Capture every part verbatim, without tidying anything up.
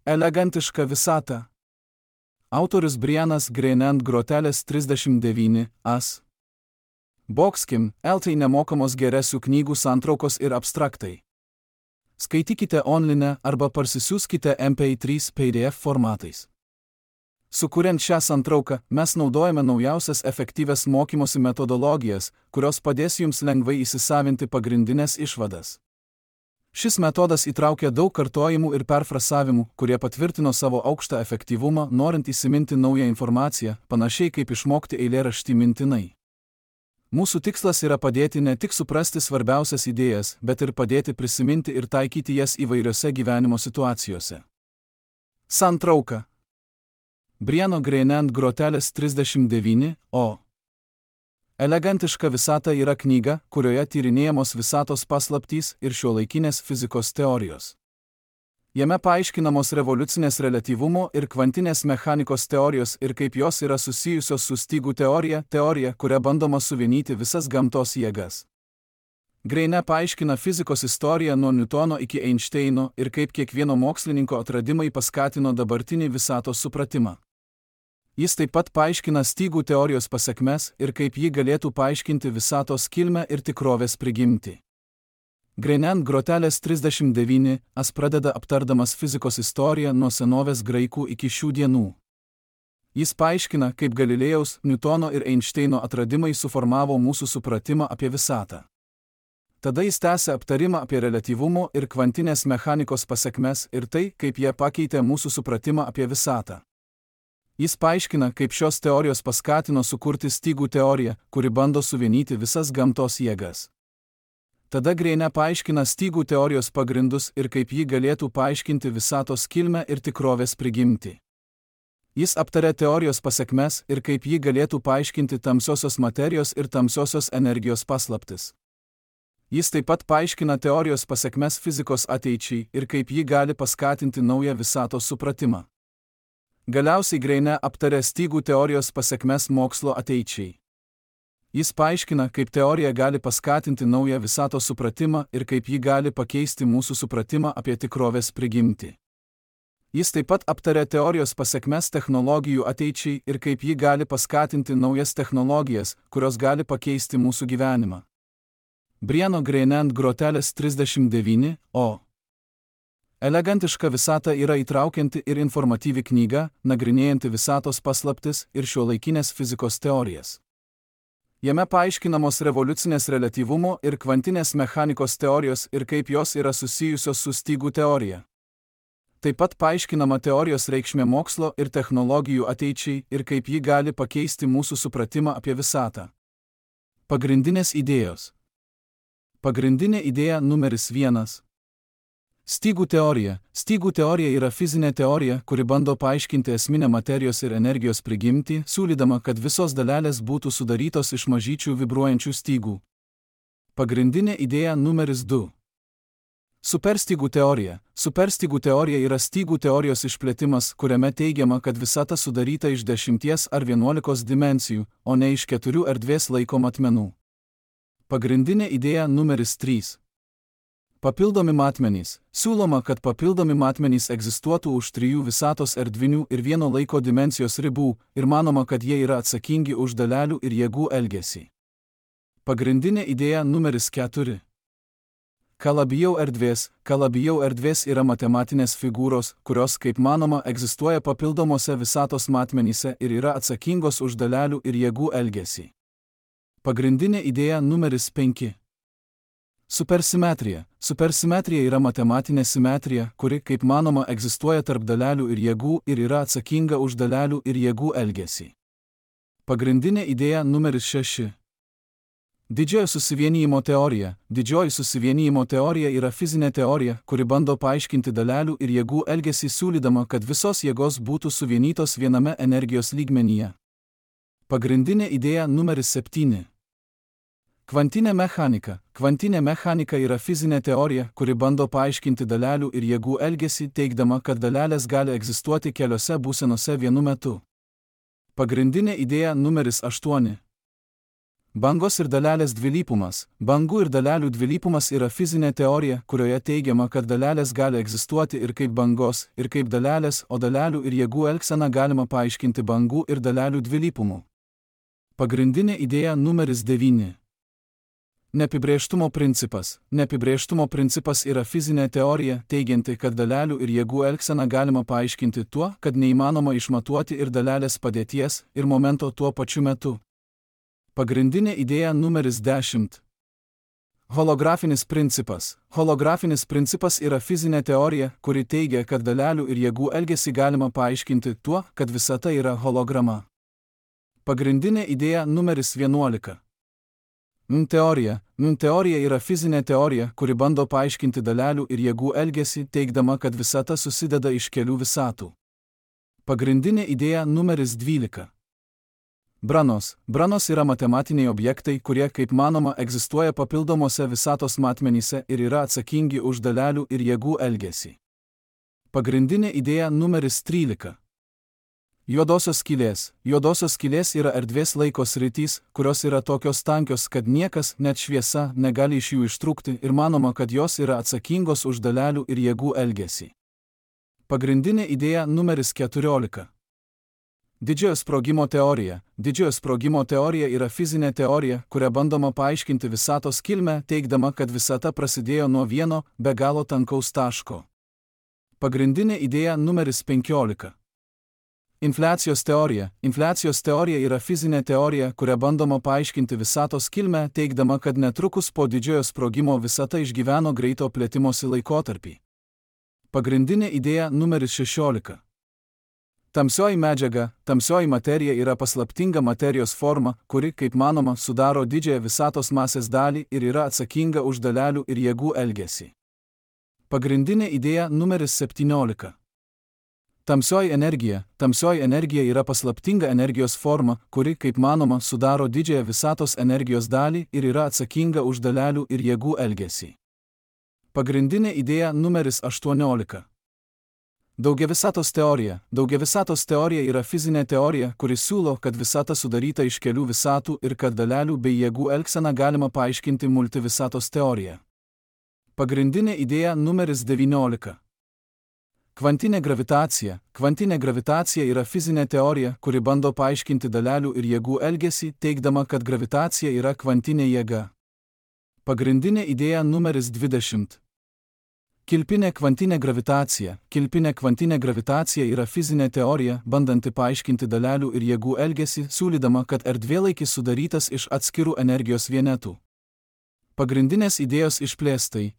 Elegantiška visata. Autorius Brianas Greene ant grotelės trisdešimt devyni as. Boxkim, L T nemokamos geresių knygų santraukos ir abstraktai. Skaitykite online arba parsisiųskite M P trys P D F formatais. Sukuriant šią santrauką, mes naudojame naujausias efektyvias mokymosi metodologijas, kurios padės jums lengvai įsisavinti pagrindinės išvadas. Šis metodas įtraukia daug kartojimų ir perfrasavimų, kurie patvirtino savo aukštą efektyvumą, norint įsiminti naują informaciją, panašiai kaip išmokti eilėraštį mintinai. Mūsų tikslas yra padėti ne tik suprasti svarbiausias idėjas, bet ir padėti prisiminti ir taikyti jas įvairiose gyvenimo situacijose. Santrauka. Briano Greene ant grotelės trisdešimt devyni o. Elegantiška visata yra knyga, kurioje tyrinėjamos visatos paslaptys ir šiuolaikinės fizikos teorijos. Jame paaiškinamos revoliucinės reliatyvumo ir kvantinės mechanikos teorijos ir kaip jos yra susijusios su stygų teorija, teorija, kuria bandoma suvienyti visas gamtos jėgas. Greene paaiškina fizikos istoriją nuo Newtono iki Einšteino ir kaip kiekvieno mokslininko atradimai paskatino dabartinį visatos supratimą. Jis taip pat paaiškina stygų teorijos pasekmes ir kaip ji galėtų paaiškinti visatos kilmę ir tikrovės prigimtį. Greene ant grotelės trisdešimt devyni as pradeda aptardamas fizikos istoriją nuo senovės graikų iki šių dienų. Jis paaiškina, kaip Galilėjaus, Newtono ir Einšteino atradimai suformavo mūsų supratimą apie visatą. Tada jis tęsia aptarimą apie reliatyvumo ir kvantinės mechanikos pasekmes ir tai, kaip jie pakeitė mūsų supratimą apie visatą. Jis paaiškina, kaip šios teorijos paskatino sukurti stygų teoriją, kuri bando suvienyti visas gamtos jėgas. Tada Greene paaiškina stygų teorijos pagrindus ir kaip ji galėtų paaiškinti visatos kilmę ir tikrovės prigimtį. Jis aptarė teorijos pasekmes ir kaip ji galėtų paaiškinti tamsiosios materijos ir tamsiosios energijos paslaptis. Jis taip pat paaiškina teorijos pasekmes fizikos ateičiai ir kaip ji gali paskatinti naują visatos supratimą. Galiausiai Greene aptarė stygų teorijos pasekmes mokslo ateičiai. Jis paaiškina, kaip teorija gali paskatinti naują visatos supratimą ir kaip ji gali pakeisti mūsų supratimą apie tikrovės prigimtį. Jis taip pat aptarė teorijos pasekmes technologijų ateičiai ir kaip ji gali paskatinti naujas technologijas, kurios gali pakeisti mūsų gyvenimą. Briano Greene ant grotelės trisdešimt devyni o. Elegantiška visata yra įtraukianti ir informatyvi knyga, nagrinėjanti visatos paslaptis ir šiuolaikinės fizikos teorijas. Jame paaiškinamos revoliucinės reliatyvumo ir kvantinės mechanikos teorijos ir kaip jos yra susijusios su stygų teorija. Taip pat paaiškinama teorijos reikšmė mokslo ir technologijų ateičiai ir kaip ji gali pakeisti mūsų supratimą apie visatą. Pagrindinės idėjos. Pagrindinė idėja numeris vienas. Stygų teorija. Stygų teorija yra fizinė teorija, kuri bando paaiškinti esminę materijos ir energijos prigimtį, siūlydama, kad visos dalelės būtų sudarytos iš mažyčių vibruojančių stygų. Pagrindinė idėja numeris du. Superstygų teorija. Superstygų teorija yra stygų teorijos išplėtimas, kuriame teigiama, kad visata sudaryta iš dešimties ar vienuolikos dimensijų, o ne iš keturių erdvės laiko matmenų. Pagrindinė idėja numeris trys. Papildomi matmenys. Siūloma, kad papildomi matmenys egzistuotų už trijų visatos erdvinių ir vieno laiko dimensijos ribų ir manoma, kad jie yra atsakingi už dalelių ir jėgų elgesį. Pagrindinė idėja numeris keturi. Kalabijau erdvės. Kalabijau erdvės yra matematinės figūros, kurios, kaip manoma, egzistuoja papildomose visatos matmenyse ir yra atsakingos už dalelių ir jėgų elgesį. Pagrindinė idėja numeris penki. Supersimetrija. Supersimetrija yra matematinė simetrija, kuri, kaip manoma, egzistuoja tarp dalelių ir jėgų ir yra atsakinga už dalelių ir jėgų elgesį. Pagrindinė idėja numeris šeši. Didžiojo susivienijimo teorija. Didžioji susivienijimo teorija yra fizinė teorija, kuri bando paaiškinti dalelių ir jėgų elgesį siūlydama, kad visos jėgos būtų suvienytos viename energijos lygmenyje. Pagrindinė idėja numeris septyni. Kvantinė mechanika. Kvantinė mechanika yra fizinė teorija, kuri bando paaiškinti dalelių ir jėgų elgesį, teigdama, kad dalelės gali egzistuoti keliose būsenose vienu metu. Pagrindinė idėja numeris aštuoni. Bangos ir dalelės dvilypumas. Bangų ir dalelių dvilypumas yra fizinė teorija, kurioje teigiama, kad dalelės gali egzistuoti ir kaip bangos, ir kaip dalelės, o dalelių ir jėgų elgseną galima paaiškinti bangų ir dalelių dvilypumu. Pagrindinė idėja numeris devyni. Neapibrėžtumo principas. Neapibrėžtumo principas yra fizinė teorija, teigianti, kad dalelių ir jėgų elgseną galima paaiškinti tuo, kad neįmanoma išmatuoti ir dalelės padėties, ir momento tuo pačiu metu. Pagrindinė idėja numeris dešimt. Holografinis principas. Holografinis principas yra fizinė teorija, kuri teigia, kad dalelių ir jėgų elgesį galima paaiškinti tuo, kad visata yra holograma. Pagrindinė idėja numeris vienuolika. M teorija. M teorija yra fizinė teorija, kuri bando paaiškinti dalelių ir jėgų elgesį, teigdama, kad visata susideda iš kelių visatų. Pagrindinė idėja numeris dvylika. Branos. Branos yra matematiniai objektai, kurie, kaip manoma, egzistuoja papildomose visatos matmenyse ir yra atsakingi už dalelių ir jėgų elgesį. Pagrindinė idėja numeris trylika. Juodosios skylės. Juodosios skylės yra erdvės laiko sritys, kurios yra tokios tankios, kad niekas, net šviesa, negali iš jų ištrūkti ir manoma, kad jos yra atsakingos už dalelių ir jėgų elgesį. Pagrindinė idėja numeris keturiolika. Didžiojo sprogimo teorija. Didžiojo sprogimo teorija yra fizinė teorija, kuria bandoma paaiškinti visatos kilmę, teigdama, kad visata prasidėjo nuo vieno, be galo tankaus taško. Pagrindinė idėja numeris penkiolika. Infliacijos teorija. Infliacijos teorija yra fizinė teorija, kuria bandoma paaiškinti visatos kilmę, teigdama, kad netrukus po didžiojo sprogimo visata išgyveno greito plėtimosi laikotarpį. Pagrindinė idėja numeris šešiolika. Tamsioji medžiaga. Tamsioji materija yra paslaptinga materijos forma, kuri, kaip manoma, sudaro didžiąją visatos masės dalį ir yra atsakinga už dalelių ir jėgų elgesį. Pagrindinė idėja numeris septyniolika. Tamsioji energija. Tamsioji energija yra paslaptinga energijos forma, kuri, kaip manoma, sudaro didžiąją visatos energijos dalį ir yra atsakinga už dalelių ir jėgų elgesį. Pagrindinė idėja numeris aštuoniolika. Daugiavisatos teorija. Daugiavisatos teorija yra fizinė teorija, kuri siūlo, kad visata sudaryta iš kelių visatų ir kad dalelių bei jėgų elgseną galima paaiškinti multivisatos teorija. Pagrindinė idėja numeris devyniolika. Kvantinė gravitacija. Kvantinė gravitacija yra fizinė teorija, kuri bando paaiškinti dalelių ir jėgų elgesį, teigdama, kad gravitacija yra kvantinė jėga. Pagrindinė idėja numeris dvidešimt. Kilpinė kvantinė gravitacija. Kilpinė kvantinė gravitacija yra fizinė teorija, bandanti paaiškinti dalelių ir jėgų elgesį, siūlydama, kad erdvėlaikis sudarytas iš atskirų energijos vienetų. Pagrindinės idėjos išplėstai.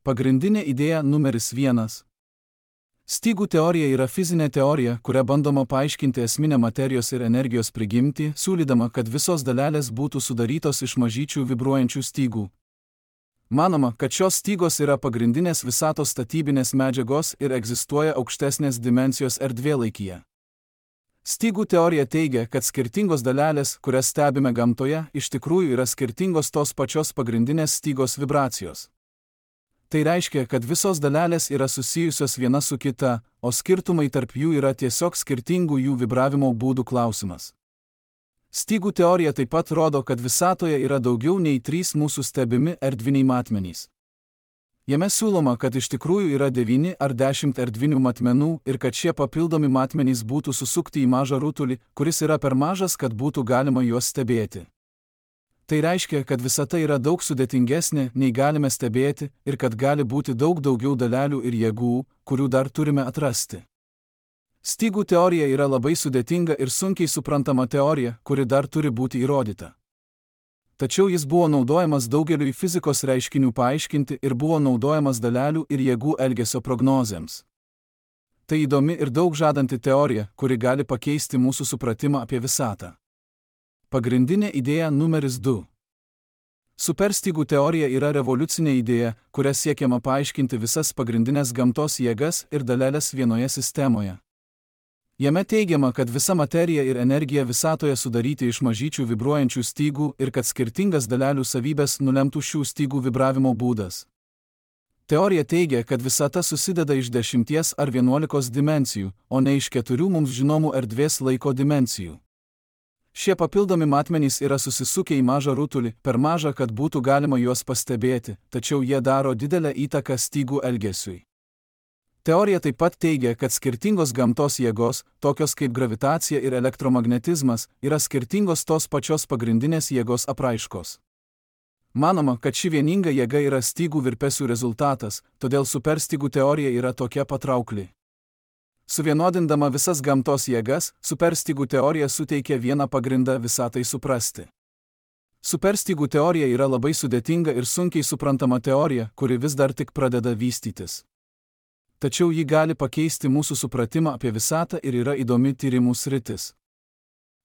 Pagrindinė idėja numeris vienas. Stygų teorija yra fizinė teorija, kuria bandoma paaiškinti esminę materijos ir energijos prigimtį, siūlydama, kad visos dalelės būtų sudarytos iš mažyčių vibruojančių stygų. Manoma, kad šios stygos yra pagrindinės visatos statybinės medžiagos ir egzistuoja aukštesnės dimensijos erdvėlaikyje. Stygų teorija teigia, kad skirtingos dalelės, kurias stebime gamtoje, iš tikrųjų yra skirtingos tos pačios pagrindinės stygos vibracijos. Tai reiškia, kad visos dalelės yra susijusios viena su kita, o skirtumai tarp jų yra tiesiog skirtingų jų vibravimo būdų klausimas. Stygų teorija taip pat rodo, kad visatoje yra daugiau nei trys mūsų stebimi erdviniai matmenys. Jame siūloma, kad iš tikrųjų yra devyni ar dešimt erdvinių matmenų ir kad šie papildomi matmenys būtų susukti į mažą rutulį, kuris yra per mažas, kad būtų galima juos stebėti. Tai reiškia, kad visata yra daug sudėtingesnė, nei galime stebėti, ir kad gali būti daug daugiau dalelių ir jėgų, kurių dar turime atrasti. Stygų teorija yra labai sudėtinga ir sunkiai suprantama teorija, kuri dar turi būti įrodyta. Tačiau jis buvo naudojamas daugeliui fizikos reiškinių paaiškinti ir buvo naudojamas dalelių ir jėgų elgesio prognozėms. Tai įdomi ir daug žadanti teorija, kuri gali pakeisti mūsų supratimą apie visatą. Pagrindinė idėja numeris du. Superstygų teorija yra revoliucinė idėja, kuria siekiama paaiškinti visas pagrindinės gamtos jėgas ir dalelės vienoje sistemoje. Jame teigiama, kad visa materija ir energija visatoje sudaryti iš mažyčių vibruojančių stygų ir kad skirtingas dalelių savybės nulemtų šių stygų vibravimo būdas. Teorija teigia, kad visata susideda iš dešimties ar vienuolikos dimensijų, o ne iš keturių mums žinomų erdvės laiko dimensijų. Šie papildomi matmenys yra susisukę į mažą rutulį, per mažą, kad būtų galima juos pastebėti, tačiau jie daro didelę įtaką stygų elgesiui. Teorija taip pat teigia, kad skirtingos gamtos jėgos, tokios kaip gravitacija ir elektromagnetizmas, yra skirtingos tos pačios pagrindinės jėgos apraiškos. Manoma, kad ši vieninga jėga yra stygų virpesių rezultatas, todėl superstygų teorija yra tokia patraukli. Suvienodindama visas gamtos jėgas, superstygų teorija suteikia vieną pagrindą visatai suprasti. Superstygų teorija yra labai sudėtinga ir sunkiai suprantama teorija, kuri vis dar tik pradeda vystytis. Tačiau ji gali pakeisti mūsų supratimą apie visatą ir yra įdomi tyrimų sritis.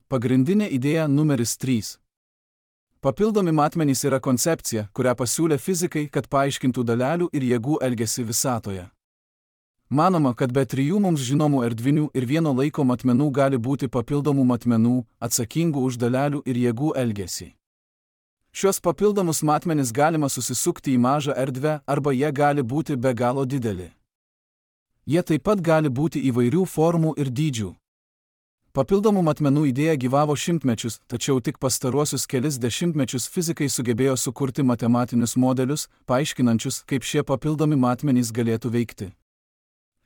Pagrindinė idėja numeris trys. Papildomi matmenys yra koncepcija, kurią pasiūlė fizikai, kad paaiškintų dalelių ir jėgų elgesį visatoje. Manoma, kad be trijų mums žinomų erdvinių ir vieno laiko matmenų gali būti papildomų matmenų, atsakingų už dalelių ir jėgų elgesį. Šios papildomus matmenis galima susisukti į mažą erdvę arba jie gali būti be galo dideli. Jie taip pat gali būti įvairių formų ir dydžių. Papildomų matmenų idėja gyvavo šimtmečius, tačiau tik pastaruosius kelis dešimtmečius fizikai sugebėjo sukurti matematinius modelius, paaiškinančius, kaip šie papildomi matmenys galėtų veikti.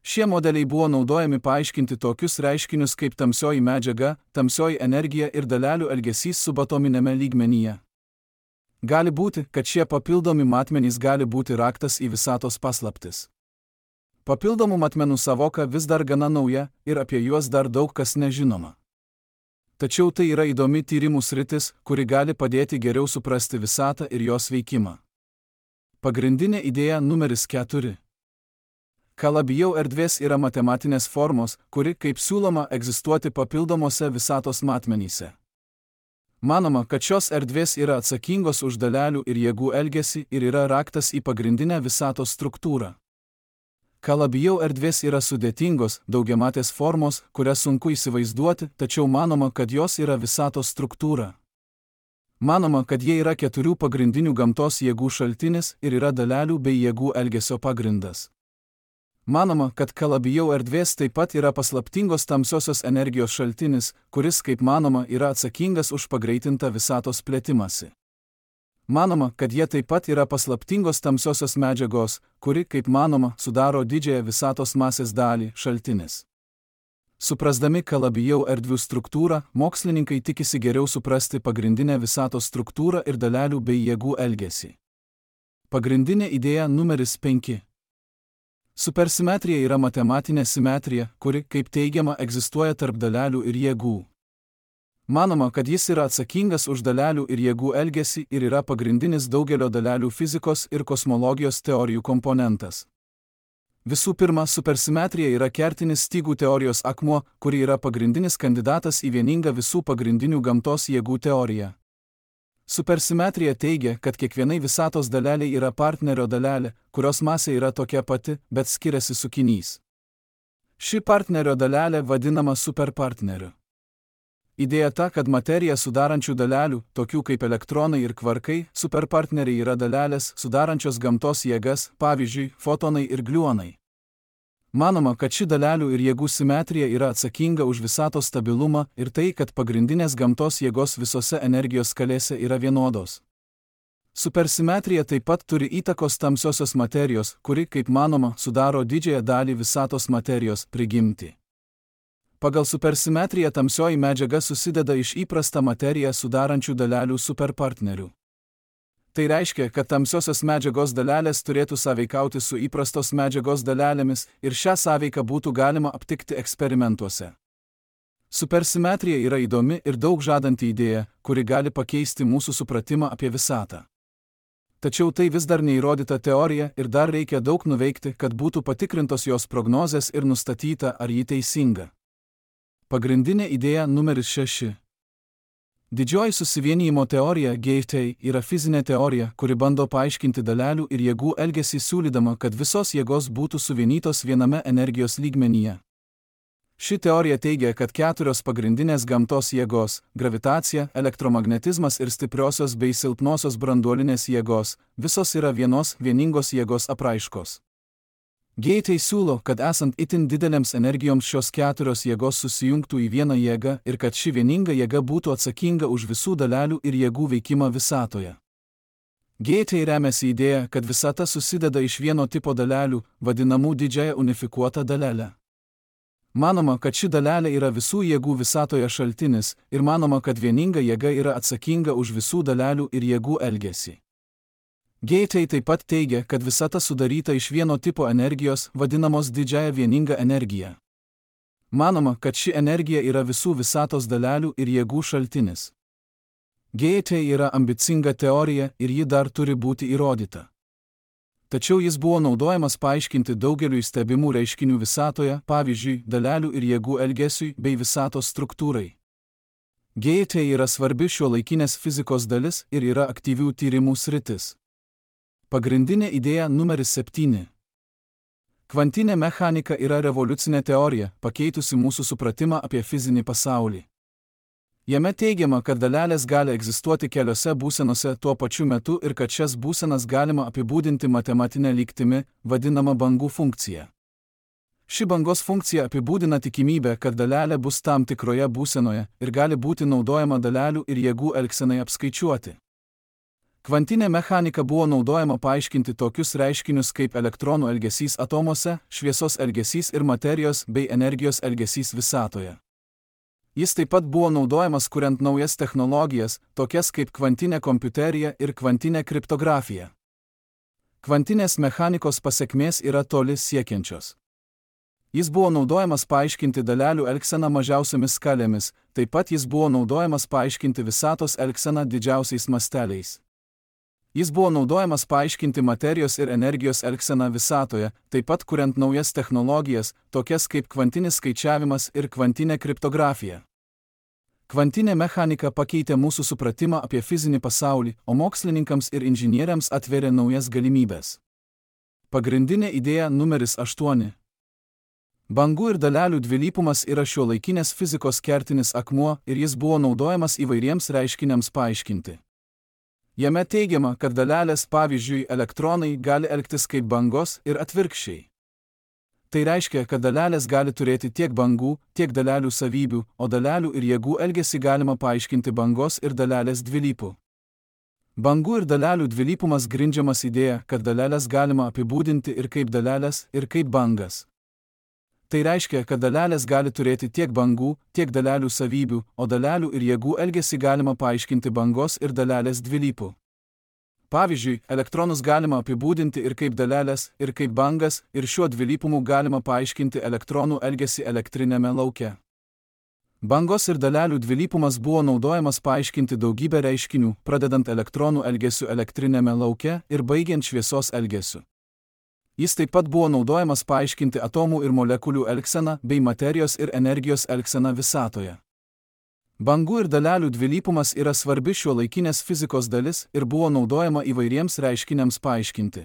Šie modeliai buvo naudojami paaiškinti tokius reiškinius kaip tamsioji medžiaga, tamsioji energija ir dalelių elgesys subatominėme lygmenyje. Gali būti, kad šie papildomi matmenys gali būti raktas į visatos paslaptis. Papildomų matmenų savoka vis dar gana nauja ir apie juos dar daug kas nežinoma. Tačiau tai yra įdomi tyrimų sritis, kuri gali padėti geriau suprasti visatą ir jos veikimą. Pagrindinė idėja numeris keturi. Kalabijau erdvės yra matematinės formos, kuri, kaip siūloma, egzistuoti papildomose visatos matmenyse. Manoma, kad šios erdvės yra atsakingos už dalelių ir jėgų elgesį ir yra raktas į pagrindinę visatos struktūrą. Kalabijau erdvės yra sudėtingos, daugiamatės formos, kurias sunku įsivaizduoti, tačiau manoma, kad jos yra visatos struktūra. Manoma, kad jie yra keturių pagrindinių gamtos jėgų šaltinis ir yra dalelių bei jėgų elgesio pagrindas. Manoma, kad kalabijau erdvės taip pat yra paslaptingos tamsiosios energijos šaltinis, kuris, kaip manoma, yra atsakingas už pagreitintą visatos plėtimąsi. Manoma, kad jie taip pat yra paslaptingos tamsiosios medžiagos, kuri, kaip manoma, sudaro didžiąją visatos masės dalį šaltinis. Suprasdami kalabijau erdvių struktūrą, mokslininkai tikisi geriau suprasti pagrindinę visatos struktūrą ir dalelių bei jėgų elgesį. Pagrindinė idėja numeris penki. Supersimetrija yra matematinė simetrija, kuri, kaip teigiama, egzistuoja tarp dalelių ir jėgų. Manoma, kad jis yra atsakingas už dalelių ir jėgų elgesį ir yra pagrindinis daugelio dalelių fizikos ir kosmologijos teorijų komponentas. Visų pirma, supersimetrija yra kertinis stygų teorijos akmuo, kuri yra pagrindinis kandidatas į vieningą visų pagrindinių gamtos jėgų teoriją. Supersimetrija teigia, kad kiekvienai visatos daleliai yra partnerio dalelė, kurios masė yra tokia pati, bet skiriasi sukinys. Ši partnerio dalelė vadinama superpartneriu. Idėja ta, kad materiją sudarančių dalelių, tokių kaip elektronai ir kvarkai, superpartneriai yra dalelės, sudarančios gamtos jėgas, pavyzdžiui, fotonai ir gliuonai. Manoma, kad ši dalelių ir jėgų simetrija yra atsakinga už visatos stabilumą ir tai, kad pagrindinės gamtos jėgos visose energijos skalėse yra vienodos. Supersimetrija taip pat turi įtakos tamsiosios materijos, kuri, kaip manoma, sudaro didžiąją dalį visatos materijos prigimtį. Pagal supersimetriją tamsioji medžiaga susideda iš įprastą materiją sudarančių dalelių superpartnerių. Tai reiškia, kad tamsiosios medžiagos dalelės turėtų sąveikauti su įprastos medžiagos dalelėmis ir šią sąveiką būtų galima aptikti eksperimentuose. Supersimetrija yra įdomi ir daug žadanti idėja, kuri gali pakeisti mūsų supratimą apie visatą. Tačiau tai vis dar neįrodyta teorija ir dar reikia daug nuveikti, kad būtų patikrintos jos prognozės ir nustatyta, ar ji teisinga. Pagrindinė idėja numeris šeši. Didžioji susivienijimo teorija G T yra fizinė teorija, kuri bando paaiškinti dalelių ir jėgų elgesį siūlydama, kad visos jėgos būtų suvienytos viename energijos lygmenyje. Ši teorija teigia, kad keturios pagrindinės gamtos jėgos – gravitacija, elektromagnetizmas ir stipriosios bei silpnosios branduolinės jėgos – visos yra vienos vieningos jėgos apraiškos. Geitai siūlo, kad esant itin didelėms energijoms šios keturios jėgos susijungtų į vieną jėgą ir kad ši vieninga jėga būtų atsakinga už visų dalelių ir jėgų veikimą visatoje. Geitai remiasi idėja, kad visata susideda iš vieno tipo dalelių, vadinamų didžiąją unifikuotą dalelę. Manoma, kad ši dalelė yra visų jėgų visatoje šaltinis ir manoma, kad vieninga jėga yra atsakinga už visų dalelių ir jėgų elgesį. Geitai taip pat teigia, kad visata sudaryta iš vieno tipo energijos, vadinamos didžiąja vieninga energija. Manoma, kad ši energija yra visų visatos dalelių ir jėgų šaltinis. Geitai yra ambicinga teorija ir ji dar turi būti įrodyta. Tačiau jis buvo naudojamas paaiškinti daugeliui stebimų reiškinių visatoje, pavyzdžiui, dalelių ir jėgų elgesiui bei visatos struktūrai. Geitai yra svarbi šiuolaikinės fizikos dalis ir yra aktyvių tyrimų sritis. Pagrindinė idėja numeris septyni. Kvantinė mechanika yra revoliucinė teorija, pakeitusi mūsų supratimą apie fizinį pasaulį. Jame teigiama, kad dalelės gali egzistuoti keliose būsenose tuo pačiu metu ir kad šias būsenas galima apibūdinti matematinę lygtimi, vadinama bangų funkcija. Ši bangos funkcija apibūdina tikimybę, kad dalelė bus tam tikroje būsenoje ir gali būti naudojama dalelių ir jėgų elgsenai apskaičiuoti. Kvantinė mechanika buvo naudojama paaiškinti tokius reiškinius kaip elektronų elgesys atomuose, šviesos elgesys ir materijos bei energijos elgesys visatoje. Jis taip pat buvo naudojamas kuriant naujas technologijas, tokias kaip kvantinė kompiuterija ir kvantinė kriptografija. Kvantinės mechanikos pasekmės yra toli siekiančios. Jis buvo naudojamas paaiškinti dalelių elgseną mažiausiomis skalėmis, taip pat jis buvo naudojamas paaiškinti visatos elgseną didžiausiais masteliais. Jis buvo naudojamas paaiškinti materijos ir energijos elgseną visatoje, taip pat kuriant naujas technologijas, tokias kaip kvantinis skaičiavimas ir kvantinė kriptografija. Kvantinė mechanika pakeitė mūsų supratimą apie fizinį pasaulį, o mokslininkams ir inžinieriams atvėrė naujas galimybės. Pagrindinė idėja numeris aštuoni. Bangų ir dalelių dvilypumas yra šiuolaikinės fizikos kertinis akmuo ir jis buvo naudojamas įvairiems reiškiniams paaiškinti. Jame teigiama, kad dalelės, pavyzdžiui, elektronai, gali elgtis kaip bangos ir atvirkščiai. Tai reiškia, kad dalelės gali turėti tiek bangų, tiek dalelių savybių, o dalelių ir jėgų elgesį galima paaiškinti bangos ir dalelės dvilypų. Bangų ir dalelių dvilypumas grindžiamas idėja, kad dalelės galima apibūdinti ir kaip dalelės, ir kaip bangas. Tai reiškia, kad dalelės gali turėti tiek bangų, tiek dalelių savybių, o dalelių ir jėgų elgesį galima paaiškinti bangos ir dalelės dvilypų. Pavyzdžiui, elektronus galima apibūdinti ir kaip dalelės, ir kaip bangas, ir šiuo dvilypumu galima paaiškinti elektronų elgesį elektrinėme lauke. Bangos ir dalelių dvilypumas buvo naudojamas paaiškinti daugybę reiškinių, pradedant elektronų elgesiu elektrinėme lauke ir baigiant šviesos elgesiu. Jis taip pat buvo naudojamas paaiškinti atomų ir molekulių elgseną bei materijos ir energijos elgseną visatoje. Bangų ir dalelių dvilypumas yra svarbi šiuolaikinės fizikos dalis ir buvo naudojama įvairiems reiškiniams paaiškinti.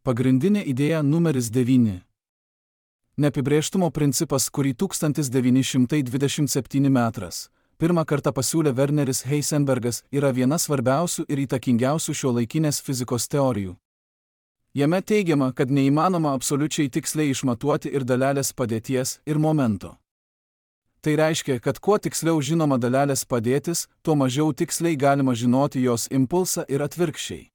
Pagrindinė idėja numeris devyni. Neapibrėžtumo principas, kurį tūkstantis devyni šimtai dvidešimt septyni metras pirmą kartą pasiūlė Werneris Heisenbergas, yra viena svarbiausių ir įtakingiausių šiuolaikinės fizikos teorijų. Jame teigiama, kad neįmanoma absoliučiai tiksliai išmatuoti ir dalelės padėties ir momento. Tai reiškia, kad kuo tiksliau žinoma dalelės padėtis, tuo mažiau tiksliai galima žinoti jos impulsą ir atvirkščiai.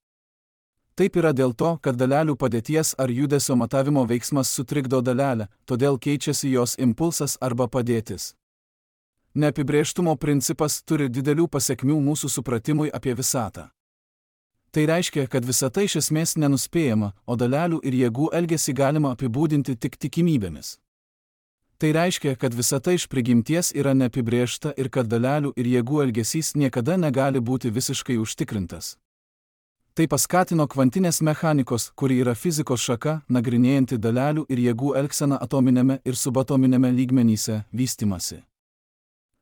Taip yra dėl to, kad dalelių padėties ar judesio matavimo veiksmas sutrikdo dalelę, todėl keičiasi jos impulsas arba padėtis. Neapibrėžtumo principas turi didelių pasekmių mūsų supratimui apie visatą. Tai reiškia, kad visata iš esmės nenuspėjama, o dalelių ir jėgų elgesį galima apibūdinti tik tikimybėmis. Tai reiškia, kad visata iš prigimties yra neapibrėžta ir kad dalelių ir jėgų elgesys niekada negali būti visiškai užtikrintas. Tai paskatino kvantinės mechanikos, kuri yra fizikos šaka, nagrinėjanti dalelių ir jėgų elgseną atominėme ir subatominėme lygmenyse, vystymasi.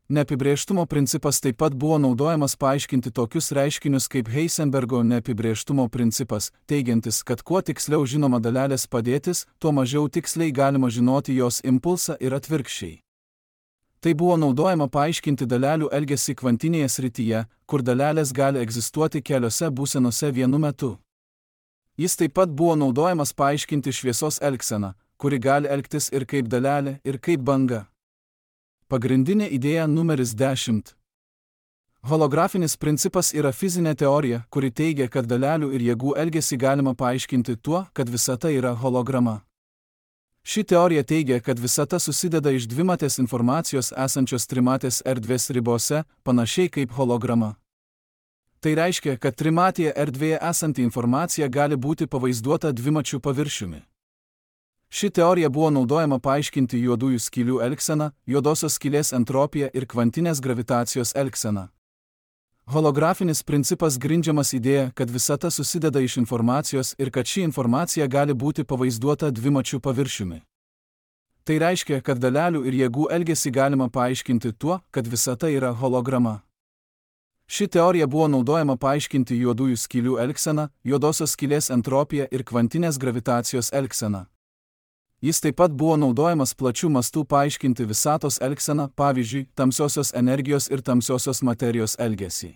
Neapibrėžtumo principas taip pat buvo naudojamas paaiškinti tokius reiškinius kaip Heisenbergo neapibrėžtumo principas, teigiantis, kad kuo tiksliau žinoma dalelės padėtis, tuo mažiau tiksliai galima žinoti jos impulsą ir atvirkščiai. Tai buvo naudojama paaiškinti dalelių elgesį kvantinėje srityje, kur dalelės gali egzistuoti keliose būsenose vienu metu. Jis taip pat buvo naudojamas paaiškinti šviesos elgseną, kuri gali elgtis ir kaip dalelė, ir kaip banga. Pagrindinė idėja numeris dešimt. Holografinis principas yra fizinė teorija, kuri teigia, kad dalelių ir jėgų elgesį galima paaiškinti tuo, kad visata yra holograma. Ši teorija teigia, kad visata susideda iš dvimatės informacijos esančios trimatės erdvės ribose, panašiai kaip holograma. Tai reiškia, kad trimatėje erdvėje esanti informacija gali būti pavaizduota dvimačiu paviršiumi. Ši teorija buvo naudojama paaiškinti juodųjų skylių elgseną, juodosios skylės entropiją ir kvantinės gravitacijos elgseną. Holografinis principas grindžiamas idėja, kad visata susideda iš informacijos ir kad ši informacija gali būti pavaizduota dvimačiu paviršiumi. Tai reiškia, kad dalelių ir jėgų elgesį galima paaiškinti tuo, kad visata yra holograma. Ši teorija buvo naudojama paaiškinti juodųjų skylių elgseną, juodosios skylės entropiją ir kvantinės gravitacijos elgseną. Jis taip pat buvo naudojamas plačių mastų paaiškinti visatos elgseną, pavyzdžiui, tamsiosios energijos ir tamsiosios materijos elgesį.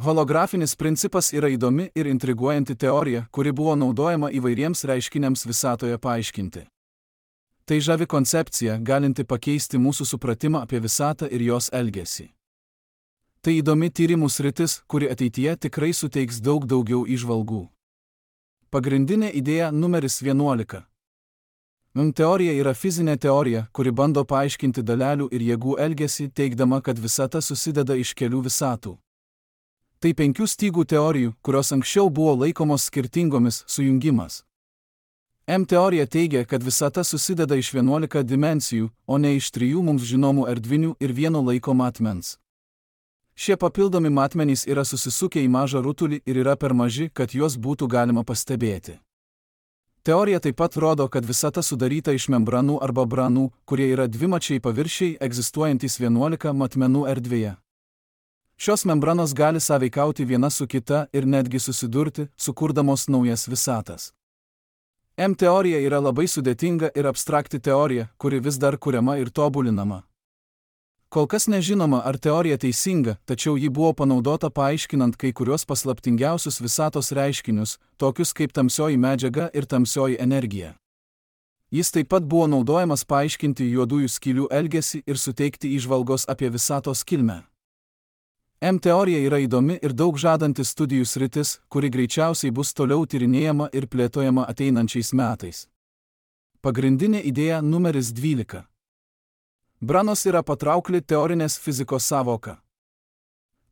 Holografinis principas yra įdomi ir intriguojanti teorija, kuri buvo naudojama įvairiems reiškiniams visatoje paaiškinti. Tai žavi koncepcija, galinti pakeisti mūsų supratimą apie visatą ir jos elgesį. Tai įdomi tyrimų sritis, kuri ateityje tikrai suteiks daug daugiau įžvalgų. Pagrindinė idėja numeris vienuolika. Teorija yra fizinė teorija, kuri bando paaiškinti dalelių ir jėgų elgesį, teigdama, kad visata susideda iš kelių visatų. Tai penkių stygų teorijų, kurios anksčiau buvo laikomos skirtingomis, sujungimas. M teorija teigia, kad visata susideda iš vienuolika dimensijų, o ne iš trijų mums žinomų erdvinių ir vieno laiko matmens. Šie papildomi matmenys yra susisukę į mažą rutulį ir yra per maži, kad juos būtų galima pastebėti. Teorija taip pat rodo, kad visata sudaryta iš membranų arba branų, kurie yra dvimačiai paviršiai egzistuojantys vienuolika matmenų erdvėje. Šios membranos gali sąveikauti viena su kita ir netgi susidurti, sukurdamos naujas visatas. M teorija yra labai sudėtinga ir abstrakti teorija, kuri vis dar kuriama ir tobulinama. Kol kas nežinoma, ar teorija teisinga, tačiau ji buvo panaudota paaiškinant kai kurios paslaptingiausius visatos reiškinius, tokius kaip tamsioji medžiaga ir tamsioji energija. Jis taip pat buvo naudojamas paaiškinti juodųjų skylių elgesį ir suteikti įžvalgos apie visatos kilmę. M teorija yra įdomi ir daug žadanti studijų sritis, kuri greičiausiai bus toliau tyrinėjama ir plėtojama ateinančiais metais. Pagrindinė idėja numeris dvylika. Branos yra patraukli teorinės fizikos sąvoka.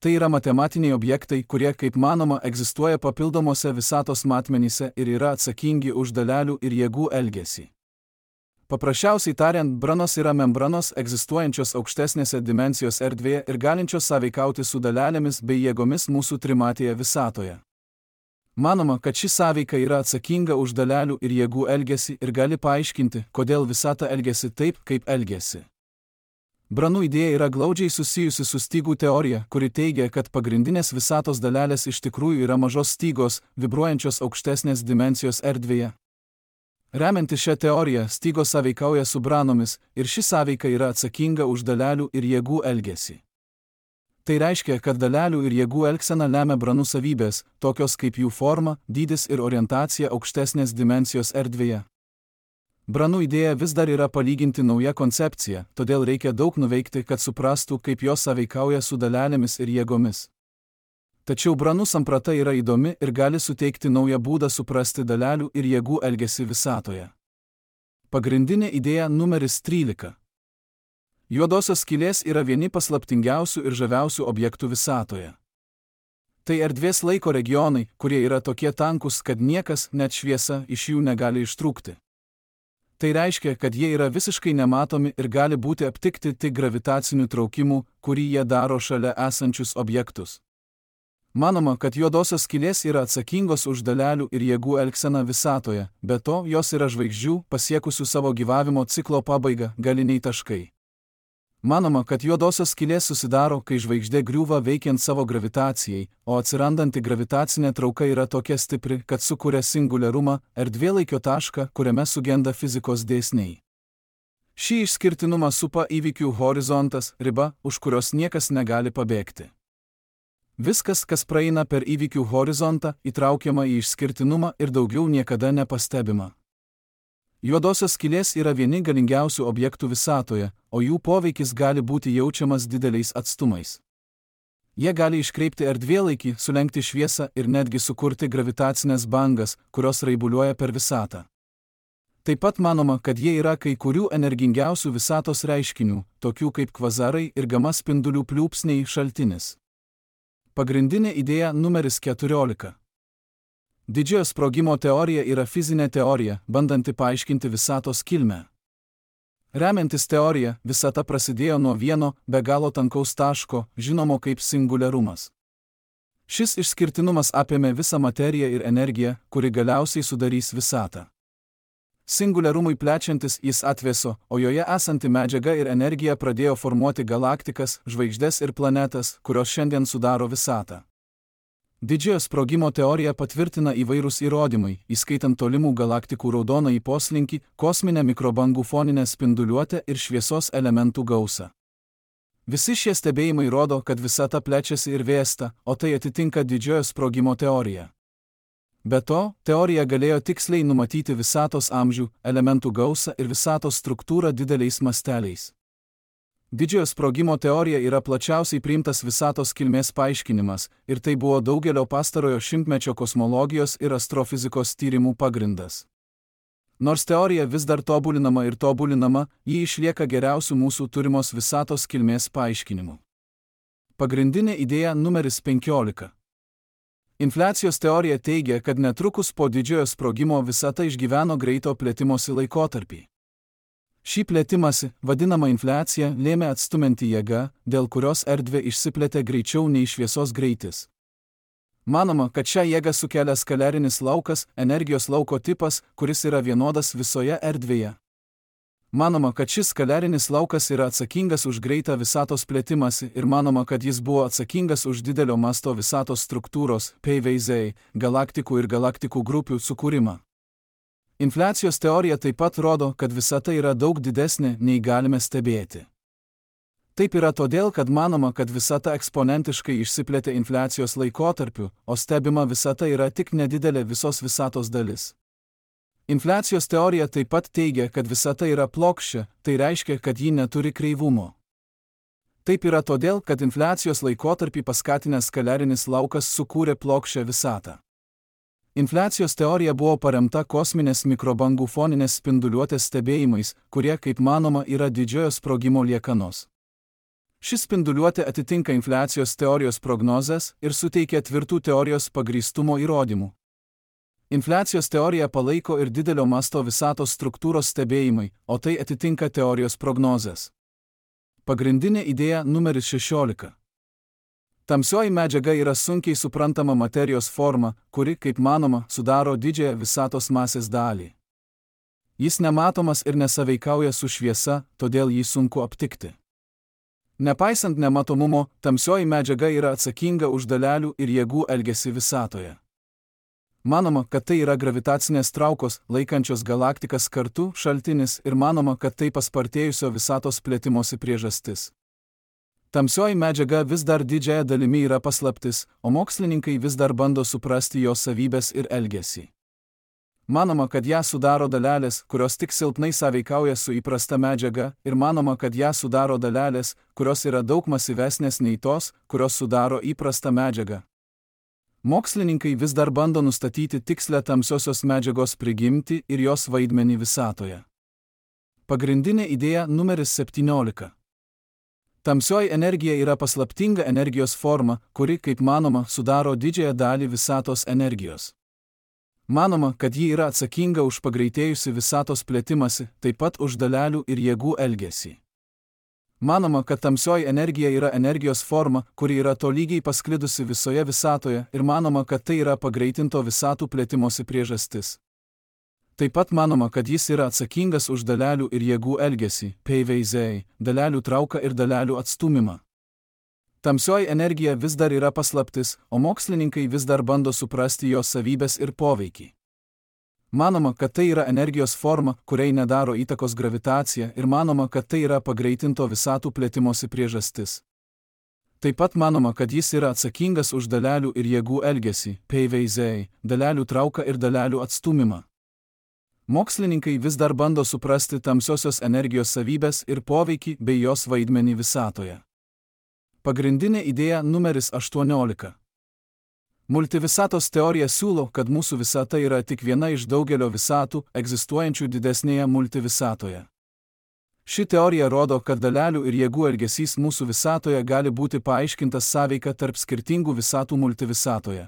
Tai yra matematiniai objektai, kurie, kaip manoma, egzistuoja papildomose visatos matmenyse ir yra atsakingi už dalelių ir jėgų elgesį. Paprasčiausiai tariant, branos yra membranos egzistuojančios aukštesnėse dimensijos erdvėje ir galinčios sąveikauti su dalelėmis bei jėgomis mūsų trimatėje visatoje. Manoma, kad ši sąveika yra atsakinga už dalelių ir jėgų elgesį ir gali paaiškinti, kodėl visata elgiasi taip, kaip elgiasi. Branų idėja yra glaudžiai susijusi su stygų teorija, kuri teigia, kad pagrindinės visatos dalelės iš tikrųjų yra mažos stygos, vibruojančios aukštesnės dimensijos erdvėje. Remiantis šią teoriją, stygos sąveikauja su branomis ir ši sąveika yra atsakinga už dalelių ir jėgų elgesį. Tai reiškia, kad dalelių ir jėgų elgsena lemia branų savybės, tokios kaip jų forma, dydis ir orientacija aukštesnės dimensijos erdvėje. Branų idėja vis dar yra palyginti nauja koncepcija, todėl reikia daug nuveikti, kad suprastų, kaip jos sąveikauja su dalelėmis ir jėgomis. Tačiau branų samprata yra įdomi ir gali suteikti naują būdą suprasti dalelių ir jėgų elgesį visatoje. Pagrindinė idėja numeris trylika. Juodosios skylės yra vieni paslaptingiausių ir žaviausių objektų visatoje. Tai erdvės laiko regionai, kurie yra tokie tankus, kad niekas, net šviesa, iš jų negali ištrūkti. Tai reiškia, kad jie yra visiškai nematomi ir gali būti aptikti tik gravitacinių traukimų, kurį jie daro šalia esančius objektus. Manoma, kad juodosios skylės yra atsakingos už dalelių ir jėgų elgseną visatoje, be to jos yra žvaigždžių, pasiekusių savo gyvavimo ciklo pabaigą, galiniai taškai. Manoma, kad juodosios skylės susidaro, kai žvaigždė griūva veikiant savo gravitacijai, o atsirandanti gravitacinė trauka yra tokia stipri, kad sukuria singuliarumą, erdvėlaikio tašką, kuriame sugenda fizikos dėsniai. Šį išskirtinumą supa įvykių horizontas, riba, už kurios niekas negali pabėgti. Viskas, kas praeina per įvykių horizontą, įtraukiama į išskirtinumą ir daugiau niekada nepastebima. Juodosios skylės yra vieni galingiausių objektų visatoje, o jų poveikis gali būti jaučiamas dideliais atstumais. Jie gali iškreipti erdvėlaikį, sulenkti šviesą ir netgi sukurti gravitacinės bangas, kurios raibuliuoja per visatą. Taip pat manoma, kad jie yra kai kurių energingiausių visatos reiškinių, tokių kaip kvazarai ir gama spindulių pliūpsniai šaltinis. Pagrindinė idėja numeris keturiolika. Didžiojo sprogimo teorija yra fizinė teorija, bandanti paaiškinti visatos kilmę. Remiantis teorija, visata prasidėjo nuo vieno, be galo tankaus taško, žinomo kaip singuliarumas. Šis išskirtinumas apėmė visą materiją ir energiją, kuri galiausiai sudarys visatą. Singuliarumui plečiantis jis atvėso, o joje esanti medžiaga ir energija pradėjo formuoti galaktikas, žvaigždes ir planetas, kurios šiandien sudaro visatą. Didžiojo sprogimo teoriją patvirtina įvairūs įrodymai, įskaitant tolimų galaktikų raudonąjį poslinkį, kosminę mikrobangų foninę spinduliuotę ir šviesos elementų gausą. Visi šie stebėjimai rodo, kad visata plečiasi ir vėsta, o tai atitinka didžiojo sprogimo teoriją. Be to, teorija galėjo tiksliai numatyti visatos amžių, elementų gausą ir visatos struktūrą dideliais masteliais. Didžiojo sprogimo teorija yra plačiausiai priimtas visatos kilmės paaiškinimas, ir tai buvo daugelio pastarojo šimtmečio kosmologijos ir astrofizikos tyrimų pagrindas. Nors teorija vis dar tobulinama ir tobulinama, ji išlieka geriausių mūsų turimos visatos kilmės paaiškinimų. Pagrindinė idėja numeris penkiolika. Infliacijos teorija teigia, kad netrukus po didžiojo sprogimo visata išgyveno greito plėtimosi laikotarpį. Šį plėtimąsi, vadinamą infliacija, lėmė atstumianti jėga, dėl kurios erdvė išsiplėtė greičiau nei šviesos greitis. Manoma, kad šią jėgą sukelia skalerinis laukas, energijos lauko tipas, kuris yra vienodas visoje erdvėje. Manoma, kad šis skalerinis laukas yra atsakingas už greitą visatos plėtimąsi ir manoma, kad jis buvo atsakingas už didelio masto visatos struktūros, P V Z, galaktikų ir galaktikų grupių sukūrimą. Infliacijos teorija taip pat rodo, kad visata yra daug didesnė, nei galime stebėti. Taip yra todėl, kad manoma, kad visata eksponentiškai išsiplėtė infliacijos laikotarpiu, o stebima visata yra tik nedidelė visos visatos dalis. Infliacijos teorija taip pat teigia, kad visata yra plokščia, tai reiškia, kad ji neturi kreivumo. Taip yra todėl, kad infliacijos laikotarpį paskatinęs skalerinis laukas sukūrė plokščią visatą. Infliacijos teorija buvo paremta kosminės mikrobangų foninės spinduliuotės stebėjimais, kurie, kaip manoma, yra didžiojo sprogimo liekanos. Ši spinduliuotė atitinka infliacijos teorijos prognozes ir suteikia tvirtų teorijos pagrįstumo įrodymų. Infliacijos teorija palaiko ir didelio masto visatos struktūros stebėjimai, o tai atitinka teorijos prognozes. Pagrindinė idėja numeris šešiolika. Tamsioji medžiaga yra sunkiai suprantama materijos forma, kuri, kaip manoma, sudaro didžiąją visatos masės dalį. Jis nematomas ir nesaveikauja su šviesa, todėl jį sunku aptikti. Nepaisant nematomumo, tamsioji medžiaga yra atsakinga už dalelių ir jėgų elgesį visatoje. Manoma, kad tai yra gravitacinės traukos, laikančios galaktikas kartu, šaltinis ir manoma, kad tai paspartėjusio visatos plėtimosi priežastis. Tamsioji medžiaga vis dar didžiąją dalimi yra paslaptis, o mokslininkai vis dar bando suprasti jos savybes ir elgesį. Manoma, kad ją sudaro dalelės, kurios tik silpnai sąveikauja su įprasta medžiaga, ir manoma, kad ją sudaro dalelės, kurios yra daug masyvesnės nei tos, kurios sudaro įprastą medžiagą. Mokslininkai vis dar bando nustatyti tikslę tamsiosios medžiagos prigimtį ir jos vaidmenį visatoje. Pagrindinė idėja numeris septyniolika. Tamsioji energija yra paslaptinga energijos forma, kuri, kaip manoma, sudaro didžiąją dalį visatos energijos. Manoma, kad ji yra atsakinga už pagreitėjusi visatos plėtimąsi, taip pat už dalelių ir jėgų elgesį. Manoma, kad tamsioji energija yra energijos forma, kuri yra tolygiai pasklidusi visoje visatoje ir manoma, kad tai yra pagreitinto visatų plėtimosi priežastis. Taip pat manoma, kad jis yra atsakingas už dalelių ir jėgų elgesį, P V Z, dalelių trauką ir dalelių atstūmimą. Tamsioji energija vis dar yra paslaptis, o mokslininkai vis dar bando suprasti jos savybes ir poveikį. Manoma, kad tai yra energijos forma, kuriai nedaro įtakos gravitacija ir manoma, kad tai yra pagreitinto visatų plėtimosi priežastis. Taip pat manoma, kad jis yra atsakingas už dalelių ir jėgų elgesį, P V Z, dalelių trauką ir dalelių atstūmimą. Mokslininkai vis dar bando suprasti tamsiosios energijos savybės ir poveikį bei jos vaidmenį visatoje. Pagrindinė idėja numeris aštuoniolika. Multivisatos teorija siūlo, kad mūsų visata yra tik viena iš daugelio visatų, egzistuojančių didesnėje multivisatoje. Ši teorija rodo, kad dalelių ir jėgų elgesys mūsų visatoje gali būti paaiškintas sąveika tarp skirtingų visatų multivisatoje.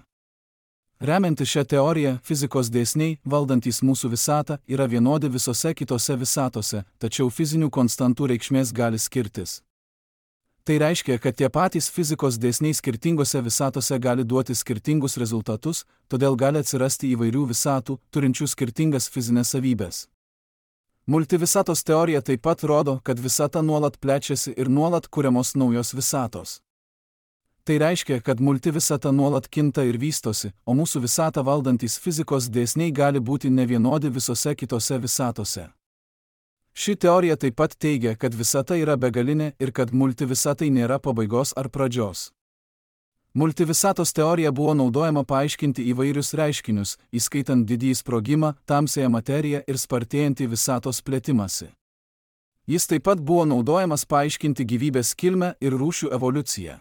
Remiantis šią teoriją, fizikos dėsniai, valdantys mūsų visatą, yra vienodi visose kitose visatose, tačiau fizinių konstantų reikšmės gali skirtis. Tai reiškia, kad tie patys fizikos dėsniai skirtingose visatose gali duoti skirtingus rezultatus, todėl gali atsirasti įvairių visatų, turinčių skirtingas fizinės savybės. Multivisatos teorija taip pat rodo, kad visata nuolat plečiasi ir nuolat kuriamos naujos visatos. Tai reiškia, kad multivisata nuolat kinta ir vystosi, o mūsų visatą valdantys fizikos dėsniai gali būti nevienodi visose kitose visatose. Ši teorija taip pat teigia, kad visata yra begalinė ir kad multivisatai nėra pabaigos ar pradžios. Multivisatos teorija buvo naudojama paaiškinti įvairius reiškinius, įskaitant didįjį sprogimą, tamsiąją materiją ir spartėjantį visatos plėtimąsi. Jis taip pat buvo naudojamas paaiškinti gyvybės kilmę ir rūšių evoliuciją.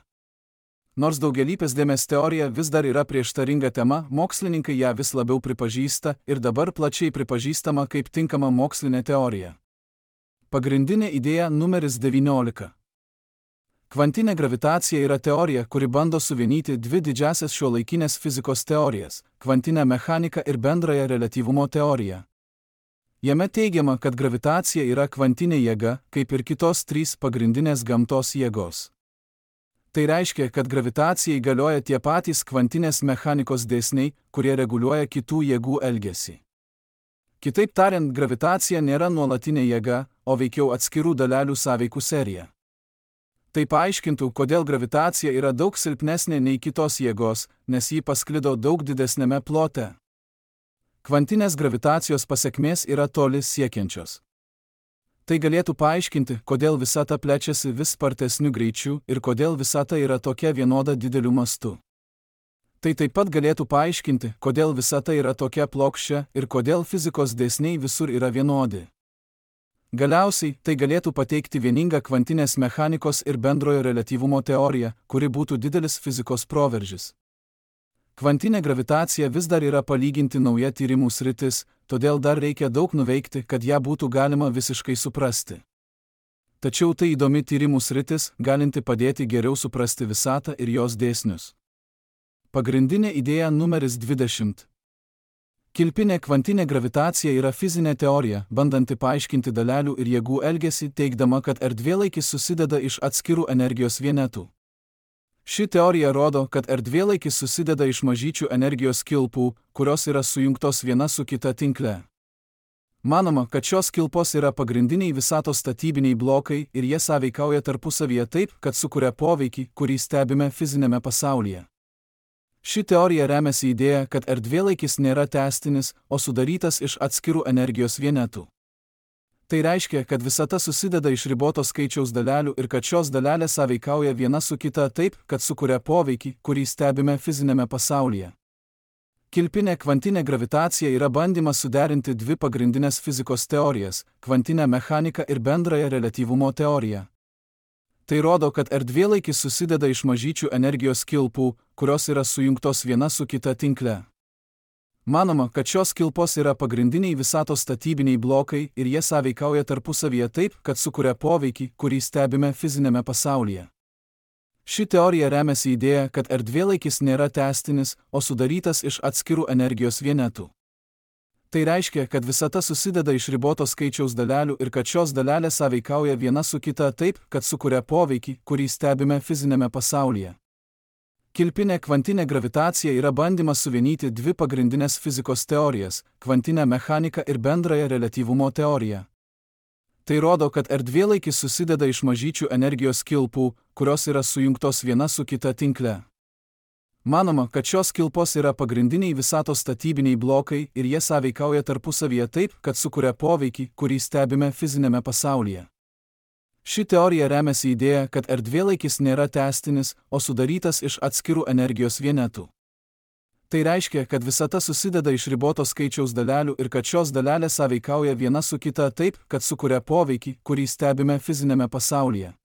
Nors daugialypės dėmės teorija vis dar yra prieštaringa tema, mokslininkai ją vis labiau pripažįsta ir dabar plačiai pripažįstama kaip tinkama mokslinė teorija. Pagrindinė idėja numeris devyniolika. Kvantinė gravitacija yra teorija, kuri bando suvienyti dvi didžiasias šiuolaikinės fizikos teorijas – kvantinę mechaniką ir bendrąją reliatyvumo teoriją. Jame teigiama, kad gravitacija yra kvantinė jėga, kaip ir kitos trys pagrindinės gamtos jėgos. Tai reiškia, kad gravitacijai galioja tie patys kvantinės mechanikos dėsniai, kurie reguliuoja kitų jėgų elgesį. Kitaip tariant, gravitacija nėra nuolatinė jėga, o veikiau atskirų dalelių sąveikų serija. Tai paaiškintų, kodėl gravitacija yra daug silpnesnė nei kitos jėgos, nes ji pasklido daug didesnėme plote. Kvantinės gravitacijos pasekmės yra toli siekiančios. Tai galėtų paaiškinti, kodėl visata plečiasi vis spartesniu greičiu ir kodėl visata yra tokia vienoda dideliu mastu. Tai taip pat galėtų paaiškinti, kodėl visata yra tokia plokščia ir kodėl fizikos dėsniai visur yra vienodi. Galiausiai, tai galėtų pateikti vieningą kvantinės mechanikos ir bendrojo reliatyvumo teoriją, kuri būtų didelis fizikos proveržis. Kvantinė gravitacija vis dar yra palyginti nauja tyrimų sritis, todėl dar reikia daug nuveikti, kad ją būtų galima visiškai suprasti. Tačiau tai įdomi tyrimų sritis, galinti padėti geriau suprasti visatą ir jos dėsnius. Pagrindinė idėja numeris dvidešimt. Kilpinė kvantinė gravitacija yra fizinė teorija, bandanti paaiškinti dalelių ir jėgų elgesį, teigdama, kad erdvėlaikis susideda iš atskirų energijos vienetų. Ši teorija rodo, kad erdvėlaikis susideda iš mažyčių energijos kilpų, kurios yra sujungtos viena su kita tinkle. Manoma, kad šios kilpos yra pagrindiniai visatos statybiniai blokai ir jie sąveikauja tarpusavyje taip, kad sukuria poveikį, kurį stebime fizinėme pasaulyje. Ši teorija remiasi idėja, kad erdvėlaikis nėra tęstinis, o sudarytas iš atskirų energijos vienetų. Tai reiškia, kad visata susideda iš riboto skaičiaus dalelių ir kad šios dalelės sąveikauja viena su kita taip, kad sukuria poveikį, kurį stebime fizinėme pasaulyje. Kilpinė kvantinė gravitacija yra bandymas suderinti dvi pagrindinės fizikos teorijas – kvantinę mechaniką ir bendrąją reliatyvumo teoriją. Tai rodo, kad erdvėlaikis susideda iš mažyčių energijos kilpų, kurios yra sujungtos viena su kita tinkle. Manoma, kad šios kilpos yra pagrindiniai visatos statybiniai blokai ir jie sąveikauja tarpusavyje taip, kad sukuria poveikį, kurį stebime fizinėme pasaulyje. Ši teorija remiasi idėja, kad erdvėlaikis nėra tęstinis, o sudarytas iš atskirų energijos vienetų. Tai reiškia, kad visata susideda iš riboto skaičiaus dalelių ir kad šios dalelės sąveikauja viena su kita taip, kad sukuria poveikį, kurį stebime fizinėme pasaulyje. Kilpinė kvantinė gravitacija yra bandymas suvienyti dvi pagrindinės fizikos teorijas – kvantinę mechaniką ir bendrąją reliatyvumo teoriją. Tai rodo, kad erdvėlaikis susideda iš mažyčių energijos kilpų, kurios yra sujungtos viena su kita tinkle. Manoma, kad šios kilpos yra pagrindiniai visatos statybiniai blokai ir jie sąveikauja tarpusavyje taip, kad sukuria poveikį, kurį stebime fizinėme pasaulyje. Ši teorija remiasi idėja, kad erdvėlaikis nėra tęstinis, o sudarytas iš atskirų energijos vienetų. Tai reiškia, kad visata susideda iš riboto skaičiaus dalelių ir kad šios dalelės sąveikauja viena su kita taip, kad sukuria poveikį, kurį stebime fizinėme pasaulyje.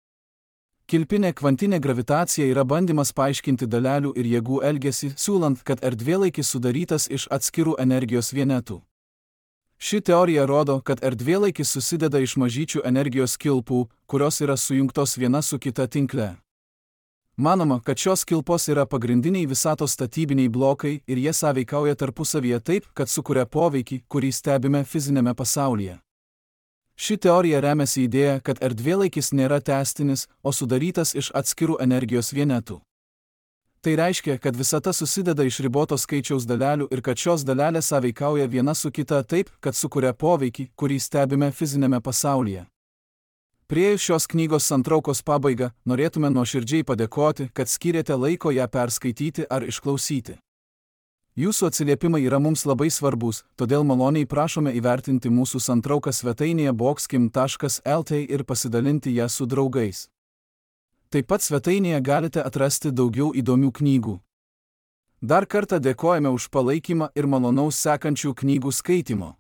Kilpinė kvantinė gravitacija yra bandymas paaiškinti dalelių ir jėgų elgesį, siūlant, kad erdvėlaikis sudarytas iš atskirų energijos vienetų. Ši teorija rodo, kad erdvėlaikis susideda iš mažyčių energijos kilpų, kurios yra sujungtos viena su kita tinkle. Manoma, kad šios kilpos yra pagrindiniai visatos statybiniai blokai ir jie sąveikauja tarpusavyje taip, kad sukuria poveikį, kurį stebime fizinėme pasaulyje. Ši teorija remiasi idėja, kad erdvėlaikis nėra tęstinis, o sudarytas iš atskirų energijos vienetų. Tai reiškia, kad visata susideda iš riboto skaičiaus dalelių ir kad šios dalelės sąveikauja viena su kita taip, kad sukuria poveikį, kurį stebime fizinėme pasaulyje. Priėjus šios knygos santraukos pabaigą, norėtume nuoširdžiai padėkoti, kad skyrėte laiko ją perskaityti ar išklausyti. Jūsų atsiliepimai yra mums labai svarbus, todėl maloniai prašome įvertinti mūsų santrauką svetainėje boxkim taškas lt ir pasidalinti ją su draugais. Taip pat svetainėje galite atrasti daugiau įdomių knygų. Dar kartą dėkojame už palaikymą ir malonaus sekančių knygų skaitymo.